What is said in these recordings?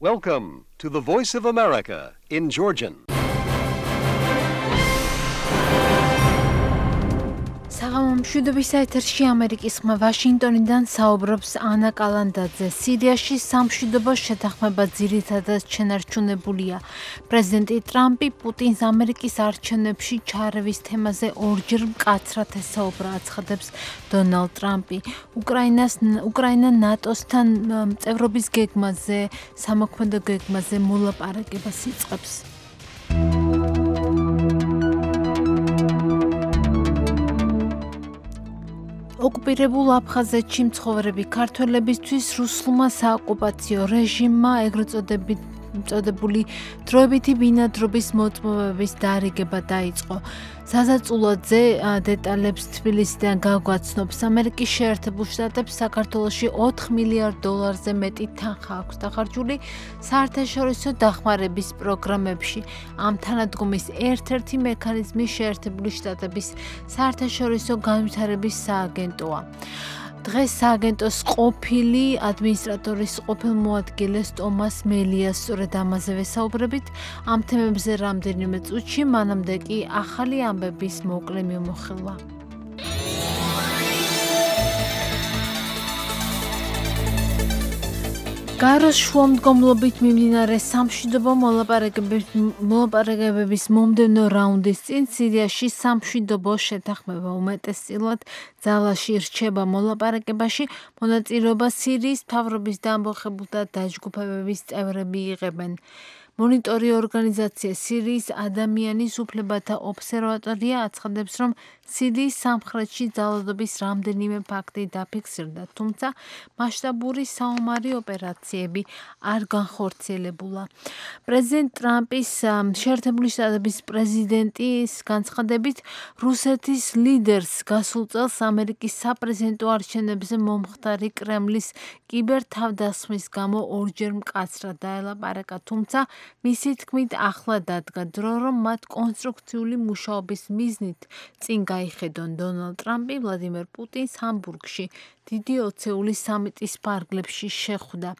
Welcome to the Voice of America in Georgian. მშვიდობის ეთერში ამერიკის ხმა ვაშინგტონიდან საუბრობს ანა კალანდაძე. სირიაში სამშვიდობო შეთანხმება ძირითადად შენარჩუნებულია. პრეზიდენტი ტრამპი პუტინს ამერიკის არჩევნებში ჩარევის თემაზე ორჯერ მკაცრად ესაუბრა, აცხადებს დონალდ ტრამპი. უკრაინა ნატოსთან წევრობის გეგმაზე, სამოქმედო გეგმაზე მოლაპარაკებას იწყებს. ოკუპირებულ აფხაზეთში მცხოვრები ქართველებისთვის რუსულმა საოკუპაციო რეჟიმმა ეგრეთ წოდებული დროებითი ბინადრობის მოწმობების დარიგება დაიწყო. საზაწულოძე დეტალებს თბილისიდან გაგვაცნობს. ამერიკის შეერთებულ შტატებს საქართველოში $4 მილიარდ მეტი თანხა აქვს დახარჯული საერთაშორისო დახმარების პროგრამებში. ამ თანადგომის ერთ-ერთი მექანიზმი შეერთებული შტატების საერთაშორისო განვითარების სააგენტოა. დღეს სააგენტოს ყოფილი ადმინისტრატორის ყოფილ მოადგილეს ტომას მელიას სწორედ ამაზე ვესაუბრებით. ამ თემებზე რამდენიმე წუთში, მანამდე კი ახალი ამბების მოკლე მიმოხილვა. გაროს შუამდგომლობით მიმდინარე სამშვიდობო მოლაპარაკებების მომდევნო რაუნდის წინ სირიაში სამშვიდობო შეთანხმება უმეტესწილად ძალაში რჩება. მოლაპარაკებაში მონაწილეობა სირიის მთავრობის და ამბოხებულთა დაჯგუფებების წევრები იღებენ. მონიტორი ორგანიზაცია სირიის ადამიანის უფლებათა ობსერვატორია აცხადებს, რომ სირიის სამხრეთში ძალადობის რამდენიმე ფაქტი დაფიქსირდა, თუმცა მასშტაბური საომარი ოპერაციები არ განხორციელებულა. პრეზიდენტ ტრამპის შეერთებული შტატების პრეზიდენტის განცხადებით, რუსეთის ლიდერს გასულ წელს ამერიკის საპრეზიდენტო არჩევნებზე მომხდარი კრემლის კიბერთავდასხმის გამო ორჯერ მკაცრად დაელაპარაკა, თუმცა მისი თქმით ახლა დადგა დრო, რომ მათ კონსტრუქციული მუშაობის მიზნით წინ გაიხედონ. დონალდ ტრამპი ვლადიმერ პუტინს ჰამბურგში დიდი ოცეული სამიტის ფარგლებში შეხვდა.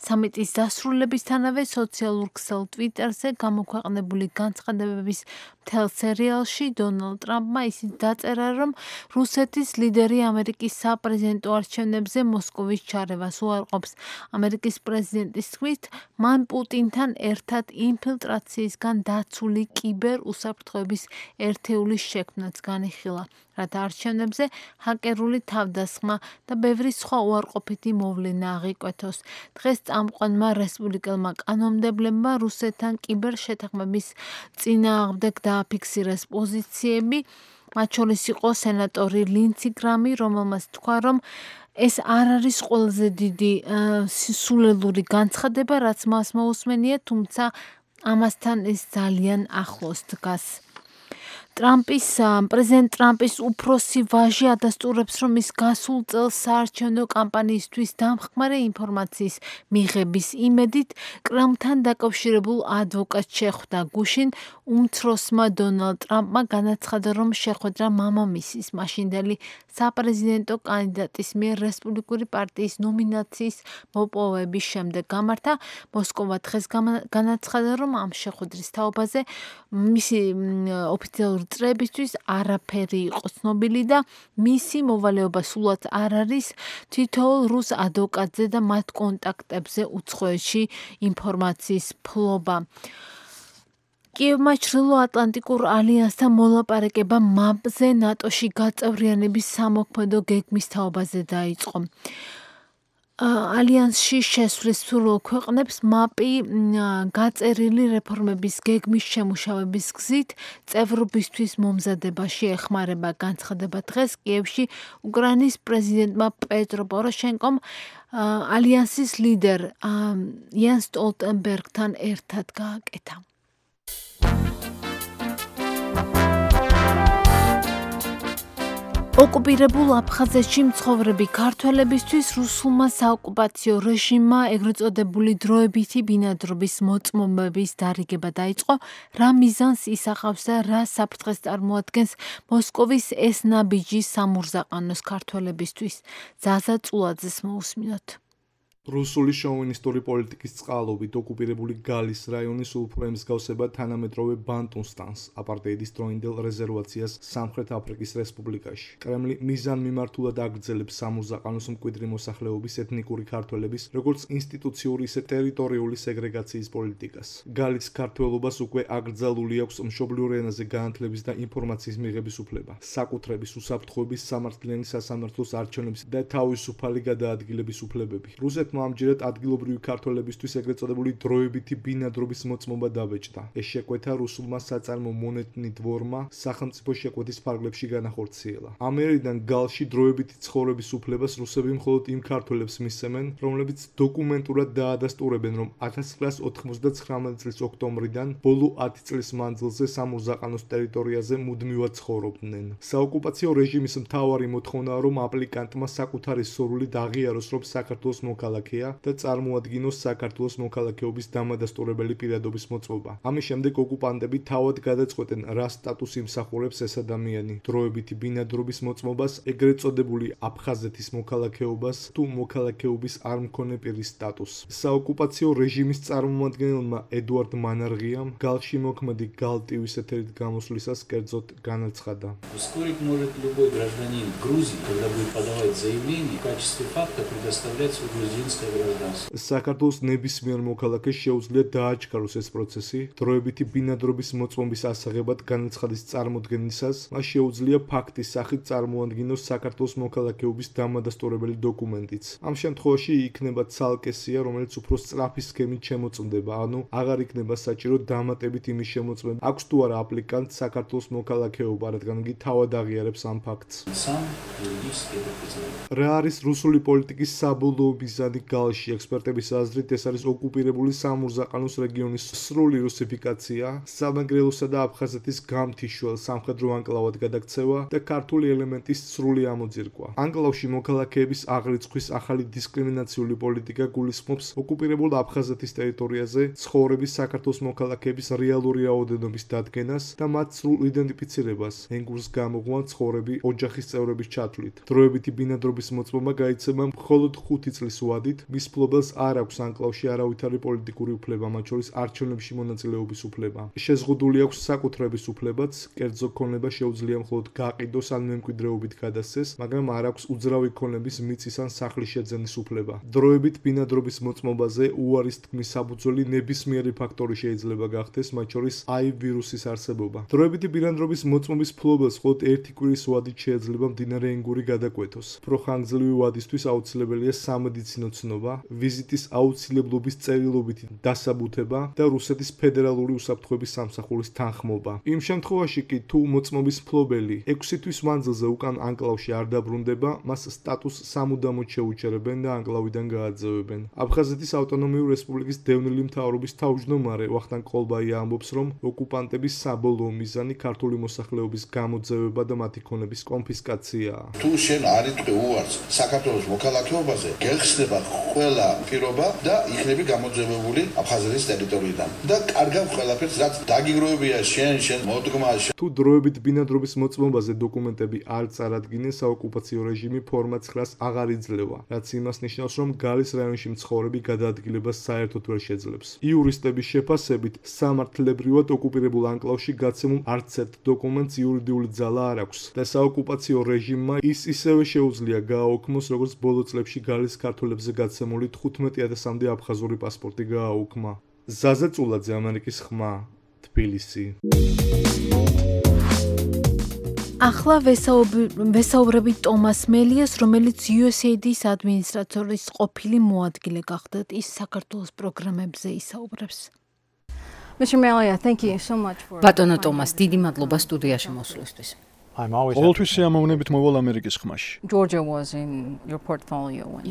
სამიტის დასრულებისთანავე სოციალურ ქსელ ტვიტერზე გამოქვეყნებული განცხადებების მთელ სერიალში დონალდ ტრამპმა ისიც დაწერა, რომ რუსეთის ლიდერი ამერიკის საპრეზიდენტო არჩევნებზე მოსკოვის ჩარევას უარყოფს. ამერიკის პრეზიდენტის თქმით, მან პუტინთან ერთად ინფილტრაციისგან დაცული კიბერ უსაფრთხოების ერთეულის შექმნაც განიხილა, რათა არჩევნებზე ჰაკერული თავდასხმა და ბევრი სხვა უარყოფითი მოვლენა აღიკვეთოს. დღეს წამყვანმა რესპუბლიკელმა კანონმდებლებმა რუსეთთან კიბერ შეთანხმების წინააღმდეგ დააფიქსირეს პოზიციები, მათ შორის იყო სენატორი ლინცი გრამი, რომელმაც თქვა, რომ ეს არ არის ყველაზე დიდი სულელური განცხადება, რაც მას მოусმენია, თუმცა ამასთან ეს ძალიან ახლოს დგას. პრეზიდენტ ტრამპის უფროსი ვაჟი ადასტურებს, რომ ის გასულ წელს საარჩევნო კამპანიისთვის დამხმარე ინფორმაციის მიღების იმედით კრემლთან დაკავშირებულ ადვოკატს შეხვდა. გუშინ უმცროსმა დონალდ ტრამპმა განაცხადა, რომ შეხვედრა მამამისის, მაშინდელი საპრეზიდენტო კანდიდატის მიერ რესპუბლიკური პარტიის ნომინაციის მოპოვების შემდეგ გამართა. მოსკოვა დღეს განაცხადა, რომ ამ შეხვედრის თაობაზე მისი ოფიციალური წრეებისთვის არაფერი იყო ცნობილი და მისი მოვალეობა სულაც არ არის თითოეულ რუს ადვოკატზე და მათ კონტაქტებზე უცხოეთში ინფორმაციის ფლობა. კიევმა ჩრდილოატლანტიკურ ალიანსთან მოლაპარაკება მაპზე ნატოში გაწევრიანების სამოქმედო გეგმის თაობაზე დაიწყო. ალიანსში შესვლის სრულ ქვეყნებს მაპი გაწერილი რეფორმების გეგმის შემუშავების გზით წევრობისთვის მომზადებაში ეხმარება. განცხადება დღეს კიევში უკრაინის პრეზიდენტმა პეტრო პოროშენკომ ალიანსის ლიდერ იან სტოლტენბერგთან ერთად გააკეთა. ოკუპირებულ აფხაზეთში მცხოვრები ქართველებისთვის რუსულმა საოკუპაციო რეჟიმმა ეგრეთ წოდებული დროებითი ბინადრობის მოწმობების დარიგება დაიწყო, რა მიზანს ისახავს და რა საფრთხეს წარმოადგენს მოსკოვის ეს ნაბიჯი სამურზაყანოს ქართველებისთვის. ზაზა წულაძეს მოусმინოთ. რუსული შოვინისტური პოლიტიკის წყალობით ოკუპირებული გალის რაიონის უფრო ემსგავსება თანამედროვე ბანტუსტანს, აპარტეიდის დროინდელ რეზერვაციას სამხრეთ აფრიკის რესპუბლიკაში. კრემლი მიზანმიმართულად აგრძელებს სამურზაყანოს მკვიდრი მოსახლეობის ეთნიკური ქართველების როგორც ინსტიტუციური, ისე ტერიტორიული სეგრეგაციის პოლიტიკას. გალის ქართველობას უკვე აკრძალული აქვს მშობლიურ ენაზე განათლების და ინფორმაციის მიღების უფლება, საკუთრების, უსაფრთხოების, სამართლიანი სასამართლოს არჩევნების და თავისუფალი გადაადგილების უფლებები. რუსეთმა ამჯერად ადგილობრივი ქართველებისთვის ეგრეთ წოდებული დროებითი ბინადრობის მოწმობა დაბეჭდა. ეს შეკვეთა რუსულმა საწარმო მონეტნი დვორმა სახელმწიფო შეკვეთის ფარგლებში განახორციელა. ამერიდან გალში დროებითი ცხოვრების უფლებას რუსები მხოლოდ იმ ქართველებს მისცემენ, რომლებიც დოკუმენტურად დაადასტურებენ, რომ 1999 წლის ოქტომბრიდან ბოლო 10 წლის მანძილზე სამურზაყანოს ტერიტორიაზე მუდმივად ცხოვრობდნენ. საოკუპაციო რეჟიმის მთავარი მოთხოვნაა, რომ აპლიკანტმა საკუთარი სურვილი აღიაროს, რომ საქართველოს მოქალაქეა და წარმოადგინოს საქართველოს მოქალაქეობის დამადასტურებელი პირადობის მოწმობა. ამის შემდეგ ოკუპანტები თავად გადაწყვეტენ, რა სტატუსი იმსახურებს ეს ადამიანი: დროებითი ბინადრობის მოწმობას, ეგრეთ წოდებული აფხაზეთის მოქალაქეობას თუ მოქალაქეობის არ მქონე პირის სტატუსს. საოკუპაციო რეჟიმის წარმომადგენელმა ედუარდ მანარღიამ გალში მოქმედი გალტივის ეთერით გამოსვლისას კერძოდ განაცხადა. Вскоре может любой гражданин Грузии, когда будет подавать заявление, в качестве факта предоставлять свое грузинское гражданство. საქართველოს ნებისმიერ მოქალაქეს შეუძლია დააჩქაროს ეს პროცესი, დროებითი ბინადრობის მოწმობის ასაღებად განაცხადის წარმოდგენისას, მას შეუძლია ფაქტის სახით წარმოადგინოს საქართველოს მოქალაქეობის დამადასტურებელი დოკუმენტიც. ამ შემთხვევაში იქნება ცალკე სია, რომელიც უფრო სწრაფი სქემით შემოწმდება, ანუ აღარ იქნება საჭირო დამატებით იმის შემოწმება, აქვს თუ არა აპლიკანტს საქართველოს მოქალაქეობა, რადგან იგი თავად აღიარებს ამ ფაქტს. Сам юридически это признает. რა არის რუსული პოლიტიკის საბოლოო მიზანი გალში? ექსპერტების აზრით, ეს არის ოკუპირებული სამურზაყანოს რეგიონის სრული რუსიფიკაცია, სამეგრელოსა და აფხაზეთის გამთიშვალ სამხედრო ანკლავად გადაქცევა და ქართული ელემენტის სრული ამოძირკვა. ანკლავში მოქალაქეების აღრიცხვის ახალი დისკრიმინაციული პოლიტიკა გულისხმობს ოკუპირებულ აფხაზეთის ტერიტორიაზე ცხოვრების საქართველოს მოქალაქეების რეალური რაოდენობის დადგენას და მათ სრულ იდენტიფიცირებას, ენგურს გამოღვან ცხოვრები ოჯახის წევრების ჩათვლით. დროებითი ბინადრობის მოწმობა გაიცემა მხოლოდ 5 წლის ვადით, მის მფლობელს არ აქვს ანკლავში არავითარი პოლიტიკური უფლება, მათ შორის არჩევნებში მონაწილეობის უფლება. შეზღუდული აქვს საკუთრების უფლებაც, კერძო ქონება შეუძლია მხოლოდ გაყიდოს ან მემკვიდრეობით გადასცეს, მაგრამ არ აქვს უძრავი ქონების მიწის ან სახლის შეძენის უფლება. დროებით ბინადრობის მოწმობაზე უარის თქმის საფუძველი ნებისმიერი ფაქტორი შეიძლება გახდეს, მათ შორის HIV ვირუსის არსებობა. დროებითი ბინადრობის მოწმობის მფლობელს მხოლოდ ერთი კვირის ვადით შეიძლება მდინარე ენგური გადაკვეთოს. პროხანგრძლივი ვადისთვის აუცილებელია სამედიცინო ცნობა, ვიზიტის აუცილებლობის წერილობითი დასაბუთება და რუსეთის ფედერალური უსაფრთხოების სამსახურის თანხმობა. იმ შემთხვევაში კი, თუ მოწმობის მფლობელი 6 თვის მანძილზე უკან ანკლავში არ დაბრუნდება, მას სტატუსს სამუდამოდ შეუჩერებენ და ანკლავიდან გააძევებენ. აფხაზეთის ავტონომიური რესპუბლიკის დევნილი მთავრობის თავმჯდომარე ვახტანგ ყოლბაია ამბობს, რომ ოკუპანტების საბოლოო მიზანი ქართული მოსახლეობის გამოძევება და მათი ქონების კონფისკაციაა. თუ შენ არ იტყვი უარს საქართველოს მოქალაქეობაზე, გეხსნება ყველა პირობა და იქნები გამოძევებული აფხაზეთის ტერიტორიიდან. და კარგავ ყველაფერს, რაც დაგიგროვებია შენ მოდგმა. თუ დროებით ბინადრობის მოწმობაზე დოკუმენტები არ წარადგინეს, საოკუპაციო რეჟიმი ფორმა 9-ს აღარ იძლევა, რაც იმას ნიშნავს, რომ გალის რაიონში მცხოვრები გადაადგილებას საერთოდ ვერ შეძლებს. იურისტების შეფასებით, სამართლებრივად ოკუპირებულ ანკლავში გაცემულ არც ერთ დოკუმენტს იურიდიული ძალა არ აქვს და საოკუპაციო რეჟიმმა ის ისევე შეუძლია გააუქმოს, როგორც ბოლო წლებში გალის ქართველებზე გაცემული 15,000-მდე აფხაზური პასპორტი გააუქმა. ზაზა წულაძე, ამერიკის ხმა, თბილისი. ახლა ვესაუბრებით ტომას მელიას, რომელიც USAID-ის ადმინისტრატორის ყოფილი მოადგილე გახდათ. ის საქართველოს პროგრამებზე ისაუბრებს. ბატონო ტომას, დიდი მადლობა სტუდიაში მოსვლისთვის. ყოველთვის სიამოვნებით მოვალ ამერიკის ხმაში.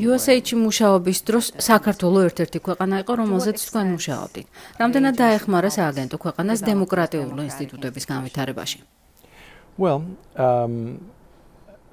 USAID-ში მუშაობის დროს საქართველო ერთ-ერთი ქვეყანა იყო, რომელზეც თქვენ მუშაობდით. რამდენად დაეხმარა სააგენტო ქვეყანას დემოკრატიული ინსტიტუტების განვითარებაში?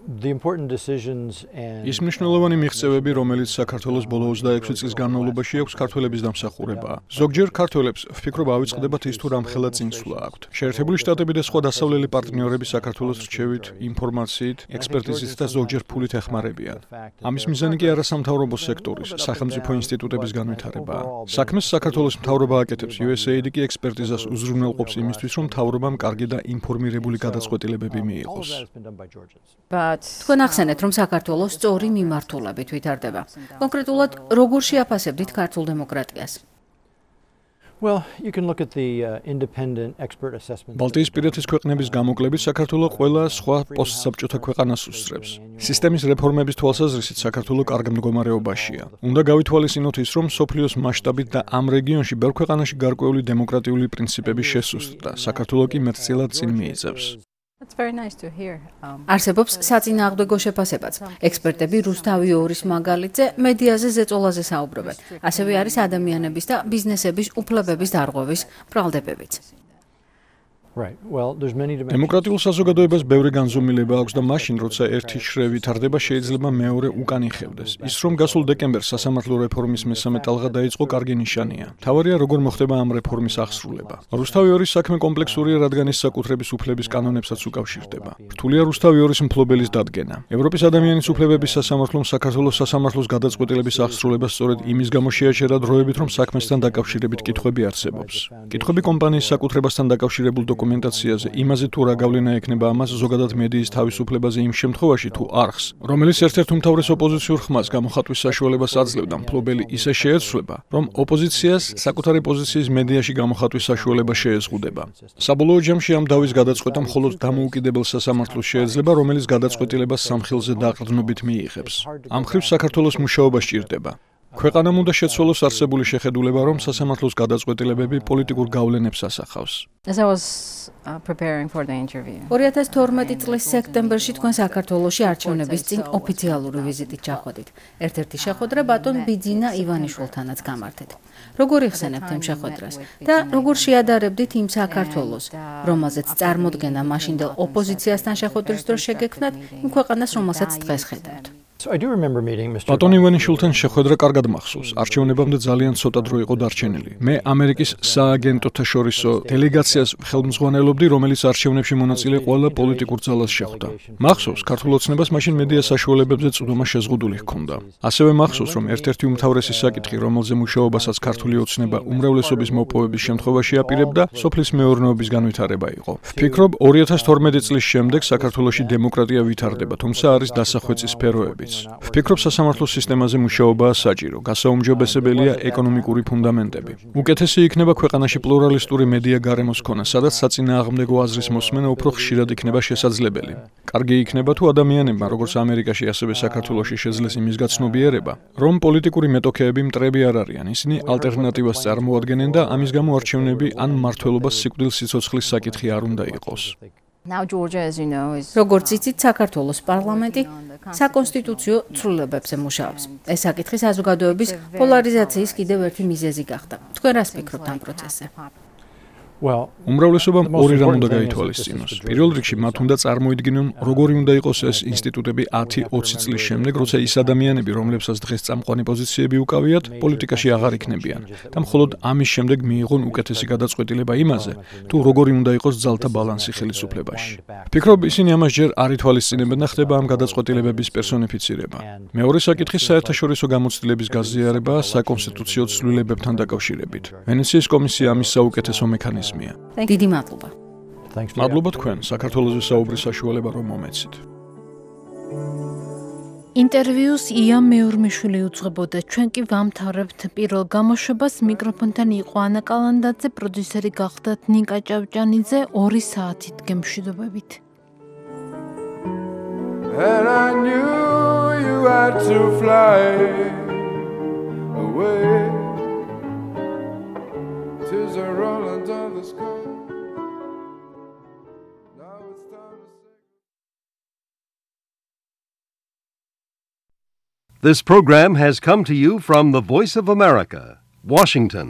ის მნიშვნელოვანი მიღწევები, რომელიც საქართველოს ბოლო 26 წლის განმავლობაში აქვს ქართველების დამსახურებაა. ზოგჯერ ქართველებს ვფიქრობ ავიწყდებათ ის თუ რამხელა წინსვლა აქვთ. შეერთებული შტატები და სხვა დასავლელი პარტნიორები საქართველოს რჩევით, ინფორმაციით, ექსპერტიზით და ზოგჯერ ფულით ეხმარებიან. ამის მიზანი კი არასამთავრობო სექტორის, სახელმწიფო ინსტიტუტების განვითარებაა. საქმეს საქართველოს მთავრობა აკეთებს, USAID კი ექსპერტიზას უზრუნველყოფს იმისთვის, რომ მთავრობამ კარგი და ინფორმირებული გადაწყვეტილებები მიიღოს. თქვენ ახსენეთ, რომ საქართველოს სწორი მიმართულებით ვითარდება. კონკრეტულად, როგორ შეაფასებდით ქართულ დემოკრატიას? ბალტიისპირეთის ქვეყნების გამოკლებით საქართველო ყველა სხვა პოსტსაბჭოთა ქვეყანას უსწრებს. სისტემის რეფორმების თვალსაზრისით საქართველო კარგ მდგომარეობაშია. უნდა გავითვალისწინოთ ის, რომ მსოფლიოს მასშტაბით და ამ რეგიონში ბევრ ქვეყანაში გარკვეული დემოკრატიული პრინციპები შესუსტდა. საქართველო კი მეტწილად წინ მიიწევს. არსებობს საწინააღმდეგო შეფასებაც. ექსპერტები რუსთავი ორის მაგალითზე მედიაზე ზეწოლაზე საუბრობენ. ასევე არის ადამიანების და ბიზნესების უფლებების დარღვევის ბრალდებებიც. დემოკრატიულ საზოგადოებას ბევრი განზომილება აქვს და მაშინ, როცა ერთი შრე ვითარდება, შეიძლება მეორე უკან იხევდეს. ის რომ გასულ დეკემბერს სასამართლო რეფორმის მესამე ტალღა დაიწყო, კარგი ნიშანია. მთავარია, როგორ მოხდება ამ რეფორმის აღსრულება. რუსთავი ორის საქმე კომპლექსურია, რადგან ის საკუთრების უფლების კანონებსაც უკავშირდება. რთულია რუსთავი ორის მფლობელის დადგენა. ევროპის ადამიანის უფლებების სასამართლომ საქართველოს სასამართლოს გადაწყვეტილების აღსრულება სწორედ იმის გამო შეაჩერა დროებით, რომ საქმესთან დაკავშირებით კითხვები არსებობს. კითხვები კომპანიის საკუთრებასთან დაკავშირებულ დოკუმენტაციაზე, იმაზე თუ რა გავლენა ექნება ამას ზოგადად მედიის თავისუფლებაზე იმ შემთხვევაში თუ არხს, რომელიც ერთ-ერთ უმთავრეს ოპოზიციურ ხმას გამოხატვის საშუალებას აძლევდა, მფლობელი ისე შეეცვლება, რომ ოპოზიციას საკუთარი პოზიციის მედიაში გამოხატვის საშუალება შეეზღუდება. საბოლოო ჯამში ამ დავის გადაწყვეტა მხოლოდ დამოუკიდებელ სასამართლოს შეეძლება, რომელიც გადაწყვეტილებას სამხილზე დაყრდნობით მიიღებს. ამ მხრივ საქართველოს მუშაობა სჭირდება. ქვეყანამ უნდა შეცვალოს არსებული შეხედულება, რომ სასამართლოს გადაწყვეტილებები პოლიტიკურ გავლენებს ასახავს. 2012 წლის სექტემბერში თქვენ საქართველოში არჩევნების წინ ოფიციალური ვიზიტით ჩახვედით. ერთ-ერთი შეხვედრა ბატონ ბიძინა ივანიშვილთანაც გამართეთ. როგორ იხსენებთ იმ შეხვედრას და როგორ შეადარებდით იმ საქართველოს, რომელზეც წარმოდგენა მაშინდელ ოპოზიციასთან შეხვედრის დროს შეგექმნათ, იმ ქვეყანას, რომელსაც დღეს ხედავთ? ბატონ ივანიშვილთან შეხვედრა კარგად მახსოვს. არჩევნებამდე ძალიან ცოტა დრო იყო დარჩენილი. მე ამერიკის სააგენტოთა შორისო დელეგაციას ხელმძღვანელობდი, რომელიც არჩევნებში მონაწილე ყველა პოლიტიკურ ძალას შეხვდა. მახსოვს, ქართულ ოცნებას მაშინ მედია საშუალებებზე წვდომა შეზღუდული ჰქონდა. ასევე მახსოვს, რომ ერთ-ერთი უმთავრესი საკითხი, რომელზე მუშაობასაც ქართული ოცნება უმრავლესობის მოპოვების შემთხვევაში აპირებდა, სოფლის მეურნეობის განვითარება იყო. ვფიქრობ, 2012 წლის შემდეგ საქართველოში დემოკრატია ვითარდება, თუმცა არის დასახვეწი სფეროებიც. ვფიქრობ, სასამართლო სისტემაზე მუშაობაა საჭირო, გასაუმჯობესებელია ეკონომიკური ფუნდამენტები. უკეთესი იქნება ქვეყანაში პლურალისტური მედია გარემოს ქონა, სადაც საწინააღმდეგო აზრის მოსმენა უფრო ხშირად იქნება შესაძლებელი. კარგი იქნება თუ ადამიანებმა, როგორც ამერიკაში, ასევე საქართველოში შეძლეს იმის გაცნობიერება, რომ პოლიტიკური მეტოქეები მტრები არ არიან, ისინი ალტერნატივას წარმოადგენენ და ამის გამო არჩევნები ან მმართველობას სიკვდილის სიცოცხლის საკითხი არ უნდა იყოს. როგორც იცით, საქართველოს პარლამენტი საკონსტიტუციო ცვლილებებზე მუშაობს. ეს საკითხი საზოგადოების პოლარიზაციის კიდევ ერთი მიზეზი გახდა. თქვენ რას ფიქრობთ ამ პროცესზე? უმრავლესობამ ორი რამ უნდა გაითვალისწინოს. პირველ რიგში მათ უნდა წარმოიდგინონ, როგორი უნდა იყოს ეს ინსტიტუტები 10-20 წლის შემდეგ, როცა ის ადამიანები, რომლებსაც დღეს წამყვანი პოზიციები უკავიათ, პოლიტიკაში აღარ იქნებიან და მხოლოდ ამის შემდეგ მიიღონ უკეთესი გადაწყვეტილება იმაზე, თუ როგორი უნდა იყოს ძალთა ბალანსი ხელისუფლებაში. ვფიქრობ, ისინი ამას ჯერ არ ითვალისწინებენ და ხდება ამ გადაწყვეტილებების პერსონიფიცირება. მეორე საკითხი საერთაშორისო გამოცდილების გაზიარებაა საკონსტიტუციო ცვლილებებთან დაკავშირებით. ვენეციის კომისია ამის საუკეთესო მექანიზმია. დიდი მადლობა. მადლობა თქვენ, საქართველოს საუბრის საშუალება რომ მომეცით. ინტერვიუს იამ მეურმიშვილი უძღვებოდა. ჩვენ კი ვამთავრებთ პირველ გამოშვებას. მიკროფონთან იყო ანა კალანდაძე, პროდიუსერი გახდათ ნიკა ჭავჭანიძე. 2 საათით გემშვიდობებით. And I knew you had to fly away. 'Tis a rolling down the sky. Now it's time to say. This program has come to you from the Voice of America, Washington.